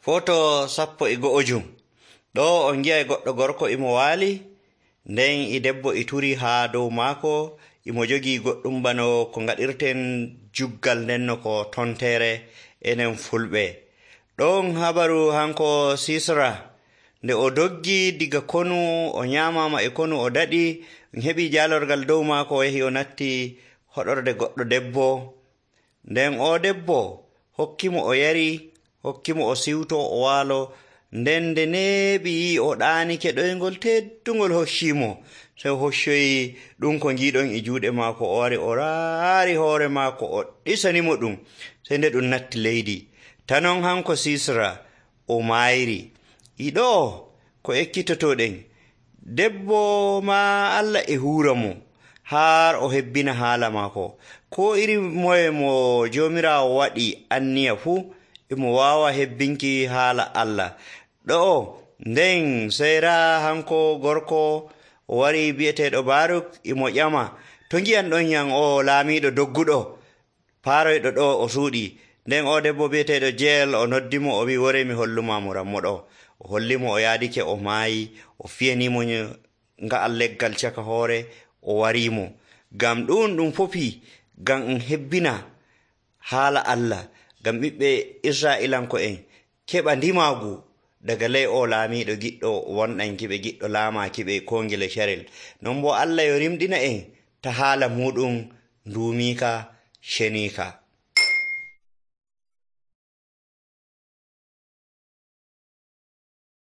Foto 14. Ɗo on gi'ay goɗɗo gorko imo waali, nden e debbo e turi haa dow maako, imo jogii goɗɗum bano ko ngaɗirten juggal ndenno ko tontere enen fulɓe. Ɗon habaru hanko Sisra, nde o doggi diga konu o nyaamama e konu o daɗi, heɓi jaalorgal dow maako o yahi o natti hoɗorde goɗɗo debbo. Nden o debbo hokkimo o yari, hokkimo o siwto o waalo, nden nde neeɓi yi'i o ɗaanike ɗoyngol teddungol hoccimo, sey o hoccoyi ɗum ko ngiiɗon e juuɗe maako, o wari o raari hoore maako o ɗisanimo ɗum, sey nde ɗum natti leydi. Tanon hanko Sisra o maayri. Ɗo ko ekkitotoɗen, debbo ma Allah e huura mo har o hebbina haala maako. Ko iri moye mo Joomiraawo waɗi anniya fuu, imo waawa hebbinki haala Allah. Ɗo nden seyra hanko gorko o wari bi'eteeɗo Baruk imo ƴama, to ngi'an ɗon yan o laamiiɗo dogguɗo paaroyɗo ɗo o suuɗi. Nden o debbo bi'eteeɗo Jeel o noddimo o wi wore mi holluma mo rammo ɗo. O hollimo o yaadike o maayi, o fiyanimo nga'al leggal caka hoore, o warimo. Ngam ɗum fofi ngam hebbina haala Allah, ngam ɓiɓɓe Israa'ilanko'en keɓa ndimaagu daga ley o laamiiɗo giɗɗo wonɗankiɓe, giɗɗo laamaakiɓe koo ngile carel. Non boo Allah yo rimɗina en ta haala muɗum nduumiika ceniika.